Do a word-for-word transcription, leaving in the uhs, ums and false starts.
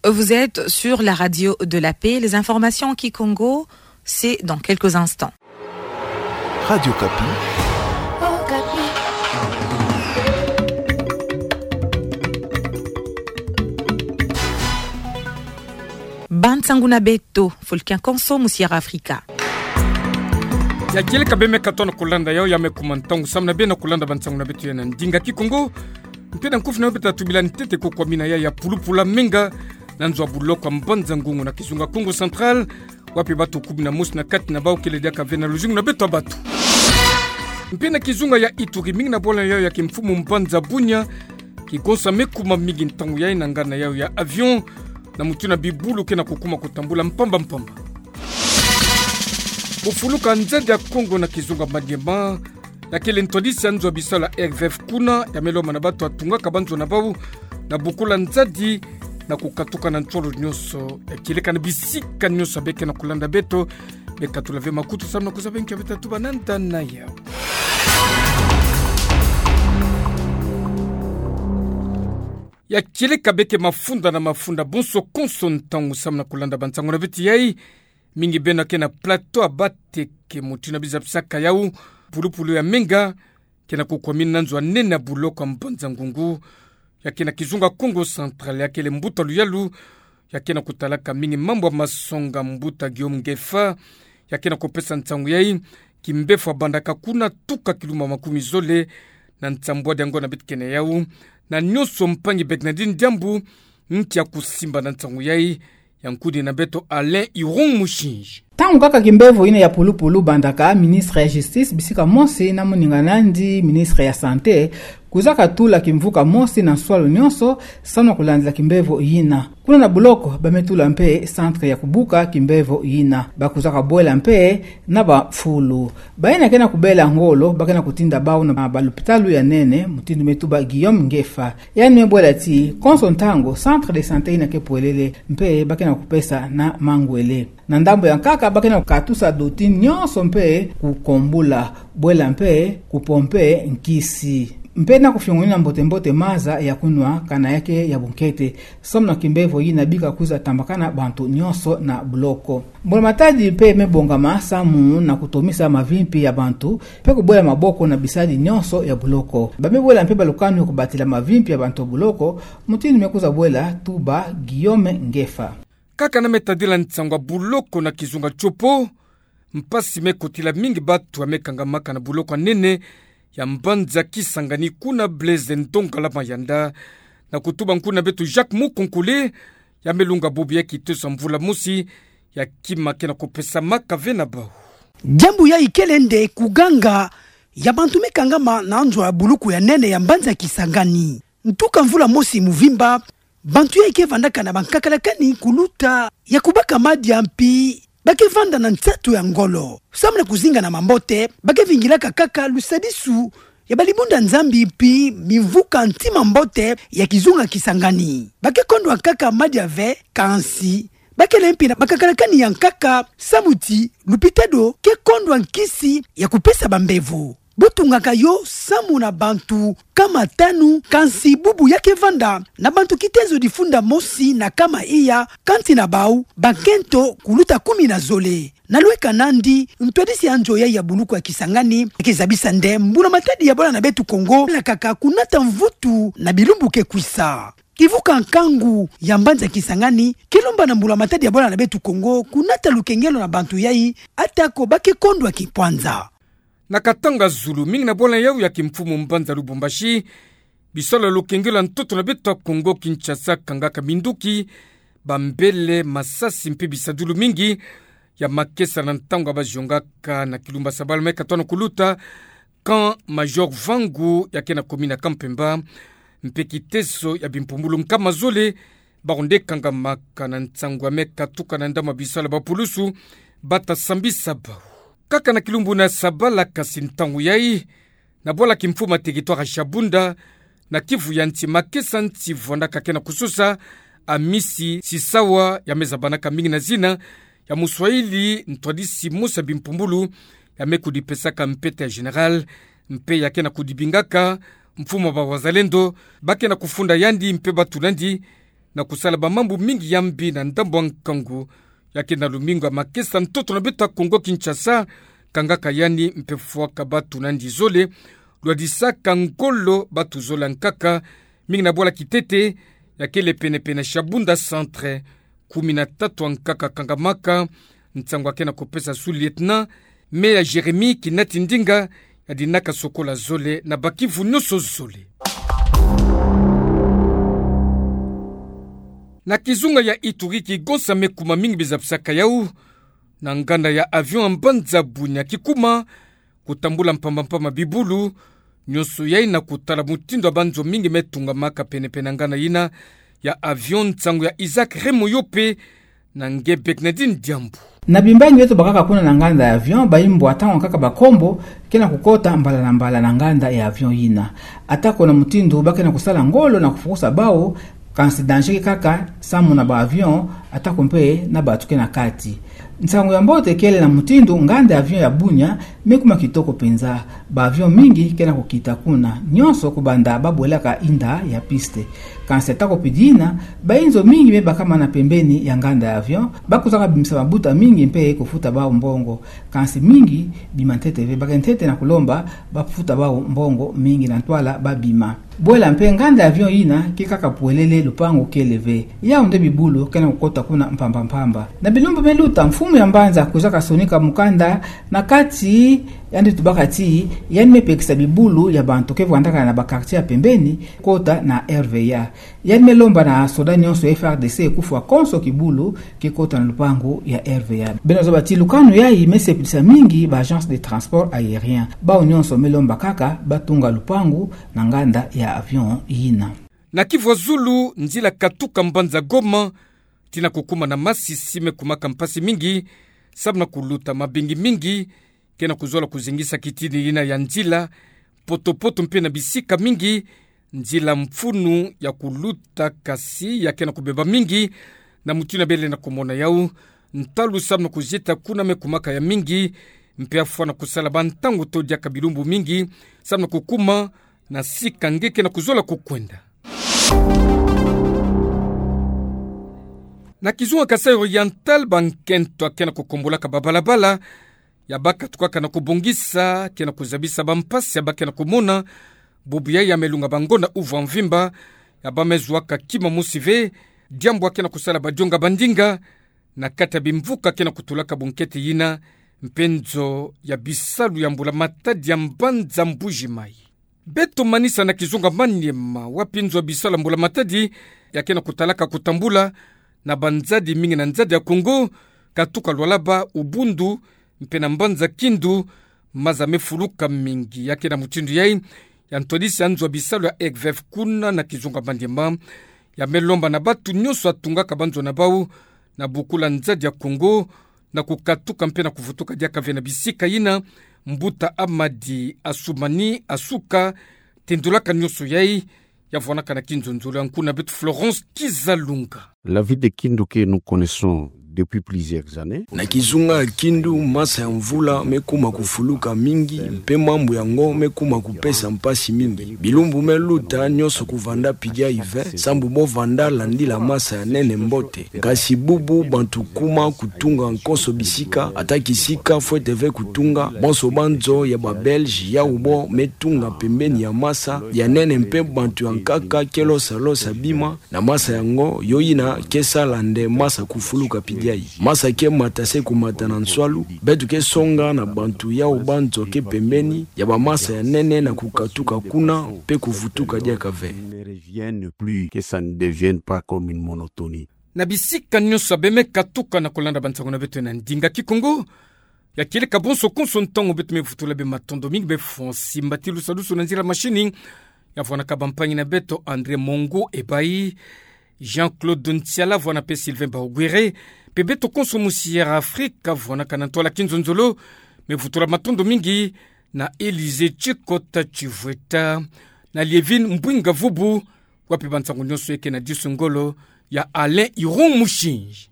Vous êtes sur la radio de la paix. Les informations en kikongo, c'est dans quelques instants. Radio Okapi. Bansangu na beto, fulu kia konso mu Sierra Africa. Ya kieleka bê me katono kulanda yau, ya me kuma ntangu samu na bê na kulanda bansangu na beto ya na ndinga kikongo. Mpe na nkufi na beto tubila ntete ko kwa mina ya ya pulupulu ya menga na nzo ya buloko ya Mbanza Ngungu na kizunga Kongo Central, wapi bato kumi na mosi na kati na bau kele diaka ve na luzingu na beto ya bato. Mpe na kizunga ya Ituri, mingi na bwala yau ya kimfumu mbanza Bunia, kikonsa me kuma mingi ntangu yai na ngana yau ya avion, na mutu na bibulu ke na kukuma kutambula mpamba mpamba. Kufuluka nzadi ya Kongo na kizunga Maniema, ya kele ntwadisi ya nzo ya bisalu ya R V F kuna, ya me lomba na bato ya tungaka banzo na bau na bukula nzadi na kukatuka na nsolo nyonso. Ya kieleka na bisika nyonso ya bê ke na kulanda beto, bê katula ve makutu samu na kuzaba nki ya bê tatuba na nda na yau. Ya kieleka bê ke mafunda na mafunda bonso konso ntangu samu na kulanda bansangu na beto yai, mingi beno ke na plateau ya Bateke, mutu na biza bisaka yau, pulupulu ya menga ke na kukwa mina na nzo ya nene ya buloko ya Mbanza Ngungu, ya ke na kizunga Kongo Central, ya kele mbuta luyalu, ya ke na kutalaka mingi mambu ya masonga, mbuta Guillaume Ngefa, ya ke na kupesa nsangu yai, kimbevo ya bandaka kuna tuka kilumbu makumi zole na nsambwadi ya ngo na beto ke na yau, na nyonso mpangi Bernardine Diambu, nki ya kusimba na nsangu yai, ya nkudi na beto Alain Irung Mushinji. Ntangu kaka kimbevo yina ya pulupulu bandaka, ministre ya Justice bisika mosi na moninga nandi, ministre ya Santé, kwiza katula kimvuka mosi na nswalu nyonso, samu na kulandila kimbevo yina. Kuna na buloko, ba me tula mpe centre ya kubuka kimbevo yina. Ba kwiza kabwela mpe na bafulu. Bayina ke na kubela ngolo, ba ke na kutinda bau na balupitalu ya nene, mutindu me tuba Guillaume Ngefa. Yandi me bwela ti, konso ntangu, centre de santé yina ke pwelele, mpe ba ke na kupesa na mangwele. Na ndambu ya nkaka, ba ke na kukatusa dotini nyonso mpe kukombula, bwela mpe kupompe nkisi. Mpe na kufiongonina mbote mbote maza ya kunwa, kana ya ke ya bunkete. Samu na kimbevo yina bika kwiza tambakana bantu nyonso na buloko. Mbula Matadi mpe me bongama samu na kutomisa mavimpi ya bantu, mpe kubwela maboko na bisadi nyonso ya buloko. Ba me bwela mpe balukanu ya kubatila mavimpi ya bantu ya buloko, mutindu me kwiza bwela tuba Guillaume Ngefa. Kaka na me tadila nsangu ya buloko na kizunga Tshopo, mpasi me kotila mingi bato ya me kangamaka na buloko ya nene ya mbanza Kisangani kuna Blaise Ndongala Mayanda, na kutuba nkuna beto Jacques Mukonkole, ya me lunga bubu ya kiteso ya mvula mosi, ya kima ke na kupesamaka ve na bau. Diambu yai kele nde kuganga ya bantu me kangama na nzo ya buloko ya nene ya mbanza Kisangani. Ntuka mvula mosi muvimba, bantu yai ke vandaka na bankakalakani kuluta ya kubaka madia mpi ba ke vanda na nsatu ya ngolo. Samu na kuzinga na mambote, ba ke vingilaka kaka lusadisu ya balibunda Nzambi mpi mimvuka ntima mbote ya kizunga Kisangani. Ba ke kondwa kaka madia ve, kansi ba kele mpi na bankakalakani ya nkaka, samu ti lupitalo ke kondwa nkisi ya kupesa bambevo. Bo tungaka yo samu na bantu kama tanu, kansi bubu ya ke vanda na bantu kitezo difunda mosi na kama iya, kansi na bau bakento kuluta kumi na zole. Na lweka nandi, ntwadisi ya nzo yai ya buloko ya Kisangani ke zabisa nde Mbula Matadi ya bwala na beto Kongo lakaka kunata mvutu na bilumbu ke kwisa. Kivuka nkangu ya mbanza Kisangani ke lomba na Mbula Matadi ya bwala na beto Kongo kunata lukengelo na bantu yai, atako ba ke kondwa kipwanza. Na Katanga Zulu, mingi na bwala yau ya kimfumu mbanza Lubumbashi, bisalu ya lukengelo ya ntoto na beto ya Kongo Kinshasa kangaka minduki, bambele, masasi mpe bisadulu mingi ya makesa na ntangu ya baziongaka na kilumbu ya sabala me katono kuluta, Camp Major Vangu ya ke na commune ya Camp Pemba, mpe kiteso ya bimpumbulu nkama zole, bawu nde kangamaka na nsangu ya me katuka na ndambu ya bisalu ya bapulusu, bata sambisa bawu. Kaka na kilumbu na sabala kasi ntangu yai, na bwala kimfumu ya territoire ya Shabunda, na Kivu ya nsi, makesa nsi vwandaka ke na kusosa, Amisi Sisawa ya me zabanaka mingi na zina ya Muswahili, ntwadisi mosi ya bimpumbulu, ya me kudipesaka mpete ya général, mpe ya ke na kudibingaka mfumu ya ba wazalendo, ba ke na kufunda yandi mpe batula yandi na kusala bamambu mingi ya mbi na ndambu ya nkangu, ya ke na lumingu ya makesa ntoto na beto ya Kongo Kinshasa, kangaka yandi mpe fwaka batu na nzizole, lwadisaka ngolo batu zole ya nkaka, mingi na bwala kitete, ya kele penepene na Shabunda Centre, kumi na tatu ya nkaka kangamaka, nsangu ya ke na kupesa sous-lieutenant, Meya Jérémie Kinati Ndinga, ya dinaka sokola zole na bakivu nyonso zole. Na kizunga ya Ituri, kigonsa me kuma mingi bizabisaka yau, na nganda ya avion ya mbanza Bunia kikuma, kutambula mpamba-mpamba bibulu, nyonso yai na kutala mutindu ya banzo mingi me tungamaka penepene na nganda yina ya avion, nsangu ya Isaac Remoyope, na nge Bernardine Diambu. Na bimbangi beto bakaka kuna na nganda ya avion, bayimbwa ntangu kaka bakombo ke na kukota mbala na mbala na nganda ya avion yina. Atako na mutindu ba ke na kusala ngolo na kufukusa bau, kansi danger ke kaka samu na ba avion, atako mpe na batu ke na kati. Nsangu ya mbote kele na mutindu nganda ya avion ya Bunia me kuma kitoko mpenza. Ba avion mingi ke na kukita kuna, nyonso kubanda ba bwelaka inda ya piste. Kansi atako pidi yina, bayinzo mingi me bakama na pembeni ya nganda ya avion, ba kuzaka bimisa mabuta mingi mpe kufuta bau mbongo. Kansi mingi bima ntete ve, ba ke ntete na kulomba ba futa bau mbongo mingi na ntwala ba bima. Bwela mpe nganda ya avion yina ke kaka pwelele, lupangu kele ve. Yau nde bibulu ke na kukota kuna mpamba-mpamba. Na bilumbu me luta, mfumu ya mbanza kwiza kasonika mukanda na kati, yandi tubaka ti yandi me pekisa bibulu ya bantu ke vandaka na ba quartier ya pembeni kota na R V A. Yandi me lomba na soda nyonso ya F A R D C kufwa konso kibulu ke kota na lupangu ya R V A. Beno zaba ti lukanu yai me sepelisa mingi ba agence de transport aérien. Bau nyonso me lomba kaka ba tunga lupangu na nganda ya avion yina. Na kivu ya zulu, nzila katuka mbanza Goma tii na kukuma na Masisi me kumaka mpasi mingi, samu na kuluta mabingi mingi ke na kuzola kuzengisa kitini yina ya nzila, poto-poto mpe na bisika mingi, nzila mfunu ya kuluta, kansi ya ke na kubeba mingi, na mutindu bele na kumona yau, ntalu samu na kuzieta kuna me kumaka ya mingi, mpe afwa na kusala ba ntangu to diaka bilumbu mingi, samu na kukuma na sika nge ke na kuzola kukwenda. Na kizunga Kasaï Oriental, ba nkento ya ke na kukombolaka ba balabala, ya ba katukaka na kubongisa, ke na kuzabisa ba mpasi ya ba ke na kumona, bubu yai ya me lunga ba ngonda uvu ya mvimba, ya ba me zuaka kima mosi ve, diambu ya ke na kusala ba dionga ba ndinga, na kati ya bimvuka ke na kutulaka bunkete yina, mpe nzo ya bisalu ya mbula matadi ya mbanza Mbuji Mayi. Beto manisa na kizunga Maniema, wapi nzo ya bisalu ya mbula matadi ya ke na kutalaka kutambula na banzadi mingi na nzadi ya Kongo, katuka Lualaba, Ubundu, mpe na mbanza Kindu, maza me fuluka mingi. Ya ke na mutindu yai, ya ntwadisi ya nzo ya bisalu ya EGVEF kuna na kizunga Maniema ya me lomba na batu nyonso ya tungaka banzo na bau na bukula nzadi ya Kongo, na kukatuka mpe na kuvutuka diaka ve na bisika yina, mbuta Amadi Assoumani Assouka tendulaka nyonso yai, ya vwanaka na kinzonzolo ya nkuna beto Florence Kizalunga. La ville de Kindu que nous connaissons depuis plusieurs années. Na kizunga ya Kindu, masa ya mvula me kuma kufuluka mingi, mpe mambu yango me kuma kupesa mpasi mingi. Bilumbu me luta, nyonso kuvanda pidia ive, sambu bo vanda landila masa ya nene mbote. Kasi bubu bantu kuma kutunga konso bisika, ata kisika fwete ve kutunga, bonso banzo ya ba Belge yau bo me tunga pembeni ya masa ya nene, mpe bantu ya nkaka ke losa losa bima na masa yango, yo yina ke sala nde masa kufuluka pidia yi. Masa ke mata se kumata na nswalu, beto ke songa na bantu yau banzo ke pembeni ya ba masa ya nene na kukatuka kuna, mpe kuvutuka diaka ve. Ne reviennent plus, que ça ne devienne pas comme une monotonie. Na bisika nyonso ya bemeka tuka na kolanda bansango na beto na ndinga Kikongo, ya kieleka bonso konso ntangu beto me vutula beno matondo mingi. Beno fwa simba ti lusadusu na nzila machine, ya vwanaka bampangi na beto André Mongo Ebayi, Jean-Claude Ntiala, vwana mpe Sylvain Baogwere, mpe beto konso musi Air Afrique, vwanaka na ntwala kinzonzolo, me vutula matondo mingi na Élysée Tshikota Tshivweta, na Lievine Mbwinga Vubu, wapi bansango nyonso eke na disu ngolo ya Alain Iron Mushinji.